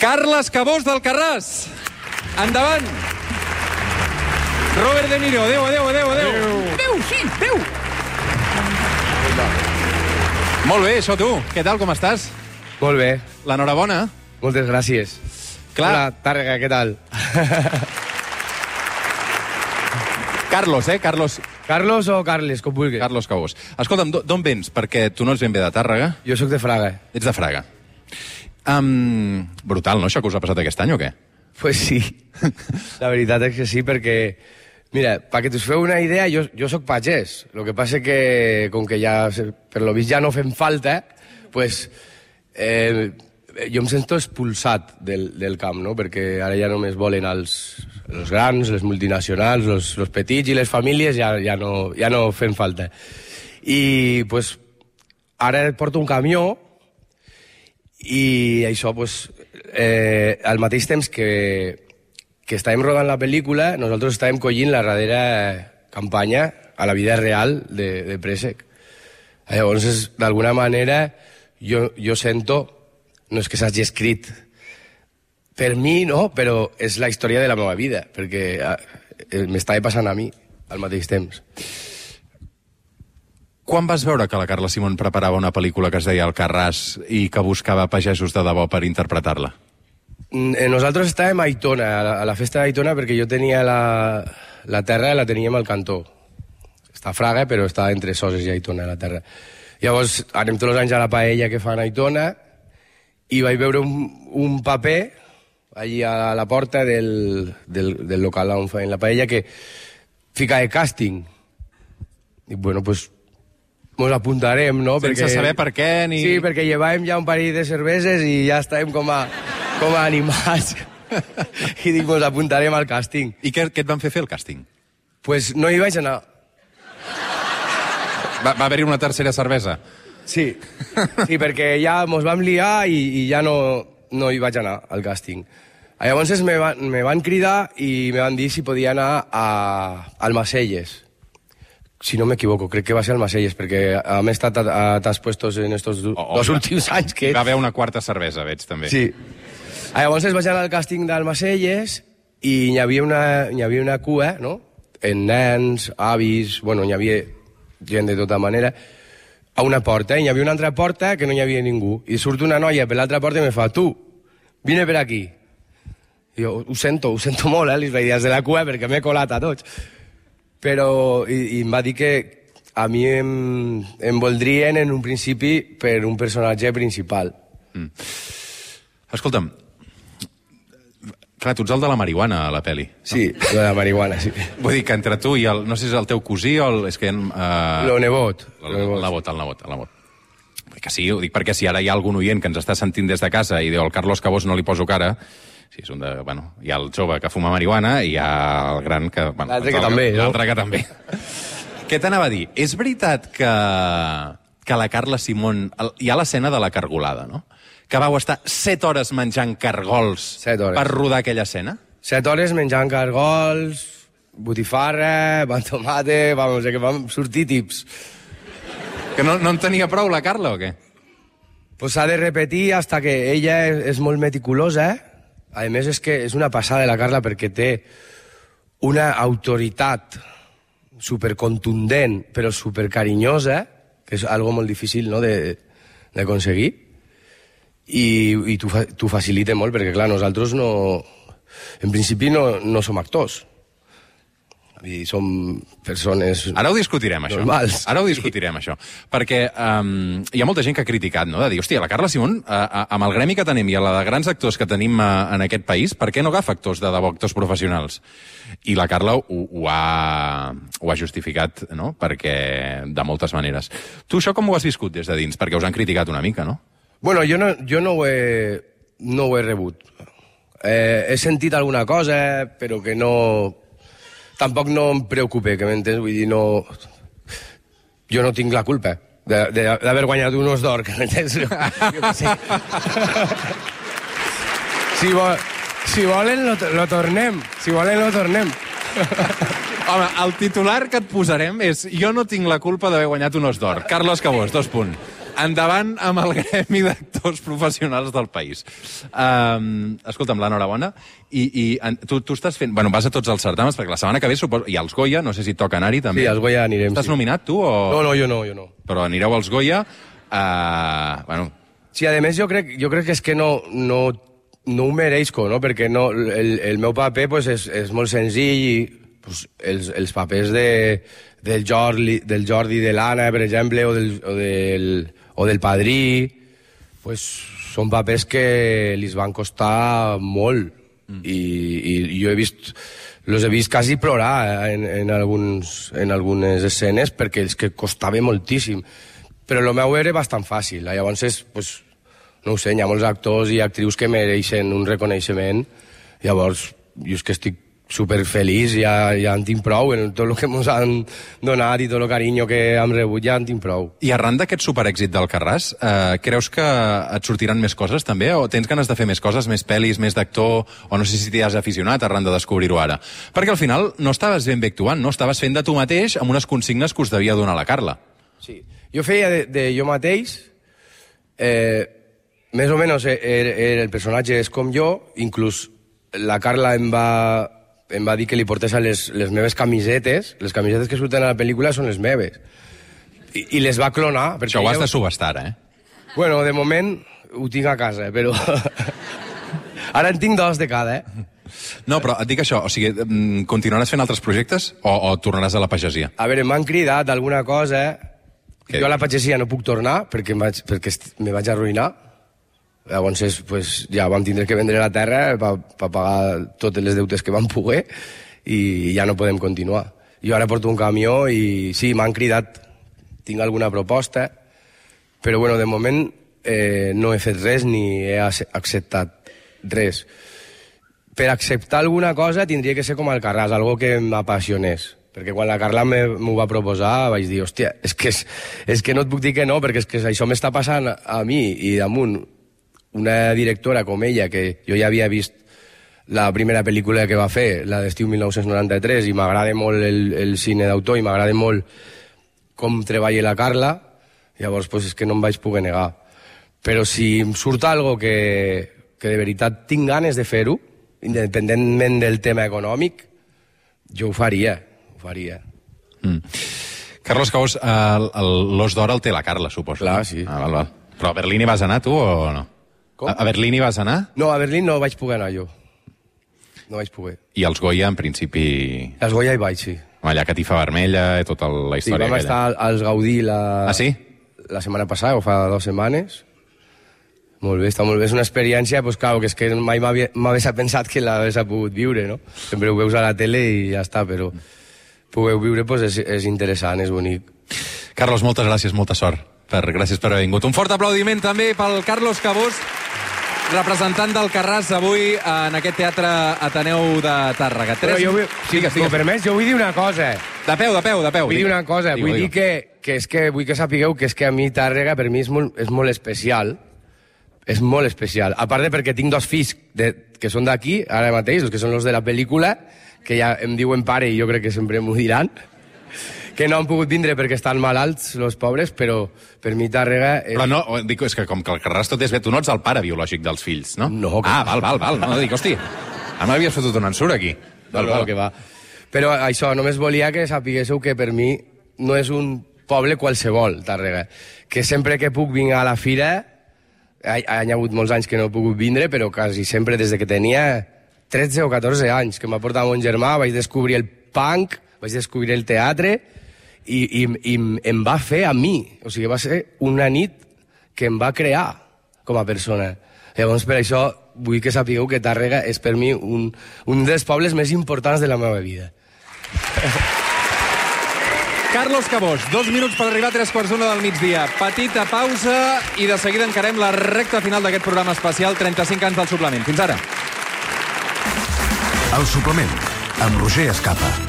Carles Cabós d'Alcarràs. Endavant. Robert De Niro. Adéu. Adéu, sí, adéu. Molt bé, això tu. Què tal, com estàs? Molt bé. L'enhorabona. Moltes gràcies. Clar. Hola, Tàrrega, què tal? Carlos, Carlos. Carlos o Carles, com vulguis. Carlos Cabós. Escolta'm, d'on vens? Perquè tu no ets ben bé de Tàrrega. Jo sóc de Fraga. Ets de Fraga. Brutal, no, això que us ha passat aquest any, o què? Pues sí. La veritat és que sí, perquè... Mira, perquè us feu una idea, jo sóc pagès. El que passa que, com que ja, per lo vist ja no fem falta, pues, jo em sento expulsat del camp, no? Perquè ara ja només volen els grans, les multinacionals, els petits i les famílies ja no fem falta. I pues, ara porto un camió i això, pues, al mateix temps que estàvem rodant la pel·lícula, nosaltres estàvem collint la darrera campanya a la vida real de Préssec. Llavors, d'alguna manera, jo sento, no és que s'hagi escrit per mi, no? Però és la història de la meva vida, perquè m'estava passant a mi al mateix temps. Quan vas veure que la Carla Simón preparava una pel·lícula que es deia Alcarràs i que buscava pagesos de debò per interpretar-la? Nosaltres estàvem a Aitona, a la festa d'Aitona, perquè jo tenia la terra, la teníem al cantó. Està a Fraga, però està entre Soses i Aitona, la terra. Llavors, anem tots els anys a la paella que fan a Aitona i vaig veure un paper allí a la porta del local on feien la paella que fica de càsting. I bueno, pues mos apuntarem, no? Sense saber per què ni... Sí, perquè llevàvem ja un parell de cerveses i ja estàvem com a animats. I dic, mos apuntarem al càsting. I què et van fer el càsting? Pues no hi vaig anar. Va haver-hi una tercera cervesa? Sí, perquè ja mos vam liar i ja no hi vaig anar al càsting. Llavors me van cridar i me van dir si podia anar a Almacelles. Si no m'equivoco, crec que va ser Almacelles, perquè hem estat a tants puestos en estos dos últims anys que... Va haver una quarta cervesa, veig, també. Sí. Llavors vaig anar al càsting d'Almacelles i hi havia una cua, no? En nens, avis, bueno, hi havia gent de tota manera, a una porta, i hi havia una altra porta que no hi havia ningú. I surt una noia per l'altra porta i me fa, tu, vine per aquí. I jo, ho sento molt, li vaig dir des de la cua perquè m'he colat a tots. Però i em va dir que a mi em voldrien en un principi per un personatge principal. Escolta'm, clar, tu ets el de la marihuana a la pel·li. Sí, el de la marihuana, sí. Vull dir que entre tu i no sé si és el teu cosí o és que... El nebot. El nebot. Que sí, ho dic perquè si ara hi ha algun oient que ens està sentint des de casa i diu al Carlos Cabós no li poso cara... Sí, és un de... Bueno, hi ha el jove que fuma marihuana i hi ha el gran que... Bueno, l'altre que també, no? L'altre que també. Què t'anava a dir? És veritat que la Carla Simón... Hi ha l'escena de la cargolada, no? Que vau estar 7 hores menjant cargols 7 hores. Per rodar aquella escena? 7 hores menjant cargols, botifarra, pan tomate... Vamos, que vam sortir tips. Que no en tenia prou la Carla, o què? Pues s'ha de repetir hasta que ella és molt meticulosa, A més, és que és una passada de la Carla perquè té una autoritat supercontundent, però supercarinyosa, que és algo molt difícil, no?, d'aconseguir, i t'ho facilita molt, perquè, clar, nosaltres no... En principi no som actors. I som persones... Ara ho discutirem, això. Normals. Ara ho discutirem, això. Perquè hi ha molta gent que ha criticat, no?, de dir, hòstia, la Carla Simón, amb el gremi que tenim i a la de grans actors que tenim en aquest país, per què no agafa actors de debò, actors professionals? I la Carla ho ha justificat, no?, perquè de moltes maneres. Tu això com ho has viscut des de dins? Perquè us han criticat una mica, no? Bueno, jo no ho he rebut. He sentit alguna cosa, però que no... Tampoc no em preocupa, que m'entens? Vull dir, no... Jo no tinc la culpa d'haver guanyat un os d'or, que m'entens? Jo què sé. Si volen, lo tornem. Si volen, lo tornem. Home, el titular que et posarem és jo no tinc la culpa d'haver guanyat un os d'or. Carlos Cabós, 2 punts. endavant amb el gremi d'actors professionals del país. Escolta'm, l'enhorabona. I tu estàs fent... Bueno, vas a tots els certàmens, perquè la setmana que ve suposo... I als Goya, no sé si toca anar-hi també. Sí, als Goya anirem. Estàs nominat, tu? O... No, jo no. Però anireu als Goya... Bueno... Sí, a més, jo crec que és que no ho mereixco, no? Perquè no, el meu paper pues, és molt senzill i pues, els papers del Jordi, de l'Anna, per exemple, o del Padrí, pues, són papers que li van costar molt. I jo los he vist quasi plorar en algunes escenes perquè és que costava moltíssim. Però el meu era bastant fàcil. Llavors, pues, no ho sé, hi ha molts actors i actrius que mereixen un reconeixement. Llavors, jo és que estic superfeliç, ja en tinc prou, en tot el que ens han donat i tot el carinyo que hem rebut, ja en tinc prou. I arran d'aquest superèxit d'Alcarràs, creus que et sortiran més coses, també? O tens ganes de fer més coses, més pel·lis, més d'actor? O no sé si t'hi has aficionat arran de descobrir-ho ara. Perquè al final no estaves ben bé actuant, no? Estaves fent de tu mateix amb unes consignes que us devia donar la Carla. Sí. Jo feia de jo mateix, més o menys el personatge és com jo, inclús la Carla em va dir que li portés a les meves camisetes, les camisetes que surten a la pel·lícula són les meves, i les va clonar. Això ho has de subestar, Bueno, de moment ho tinc a casa, però ara en tinc 2 de cada, No, però et dic això, o sigui, continuaràs fent altres projectes o tornaràs a la pagesia? A veure, m'han cridat alguna cosa. Jo a la pagesia no puc tornar perquè me vaig arruïnar. Llavors, pues, ja vam tindre que vendre la terra per pagar totes les deutes que vam poder i ja no podem continuar. Jo ara porto un camió i sí, m'han cridat. Tinc alguna proposta, però bueno, de moment no he fet res ni he acceptat res. Per acceptar alguna cosa tindria que ser com Alcarràs, algo que m'apassionés. Perquè quan la Carla m'ho va proposar vaig dir, hòstia, és que no et puc dir que no, perquè és que això m'està passant a mi, i damunt una directora com ella, que jo ja havia vist la primera pel·lícula que va fer, la d'estiu 1993, i m'agrada molt el cine d'autor i m'agrada molt com treballa la Carla, llavors pues, és que no em vaig poder negar. Però si em surt algo que de veritat tinc ganes de fer-ho, independentment del tema econòmic, jo ho faria. Carlos Cabós, l'Os d'Or el té la Carla, suposo. Clar, sí. Val. Però a Berlín hi vas anar, tu, o no? Com? A Berlín hi vas anar? No, a Berlín no vaig poder anar jo. No vaig poder. I als Goya, en principi... Als Goya hi vaig, sí. Allà Catifa Vermella i tota la història aquella. Sí, vam estar als Gaudí Ah, sí? La setmana passada, o fa 2 setmanes. Molt bé, està molt bé. És una experiència, pues, clar, que és que mai m'hagués pensat que l'hagués pogut viure, no? Sempre ho veus a la tele i ja està, però poder viure pues, és interessant, és bonic. Carlos, moltes gràcies, molta sort. Gràcies per haver vingut. Un fort aplaudiment també pel Carlos Cabós, representant d'Alcarràs avui en aquest Teatre Ateneu de Tàrrega. Si m'ho permets, jo vull dir una cosa. De peu. Vull dir una cosa, vull dir que és que vull que sapigueu que és que a mi Tàrrega per mi és molt especial. És molt especial. A part de perquè tinc 2 fills que són d'aquí, ara mateix, els que són els de la pel·lícula, que ja em diuen pare i jo crec que sempre m'ho diran, que no han pogut vindre perquè estan malalts, els pobres, però per mi Tàrrega... Però no, dic, és que com que el Carràs tot és bé, tu no ets el pare biològic dels fills, no? No. Val. No, dic, hosti, ara m'havies fotut un ensurt aquí. Val, que va. Però això, només volia que sapiguéssiu que per mi no és un poble qualsevol, Tàrrega. Que sempre que puc vinc a la fira, hi ha hagut molts anys que no he pogut vindre, però quasi sempre des de que tenia 13 o 14 anys, que m'ha portat mon germà, vaig descobrir el punk, vaig descobrir el teatre, i em va fer a mi. O sigui, va ser una nit que em va crear com a persona. Llavors, per això, vull que sapigueu que Tàrrega és per mi un dels pobles més importants de la meva vida. Carlos Cabós, 2 minuts per arribar a 3:45 del migdia. Petita pausa i de seguida encarem la recta final d'aquest programa especial, 35 anys del suplement. Fins ara. El suplement, amb Roger Escapa.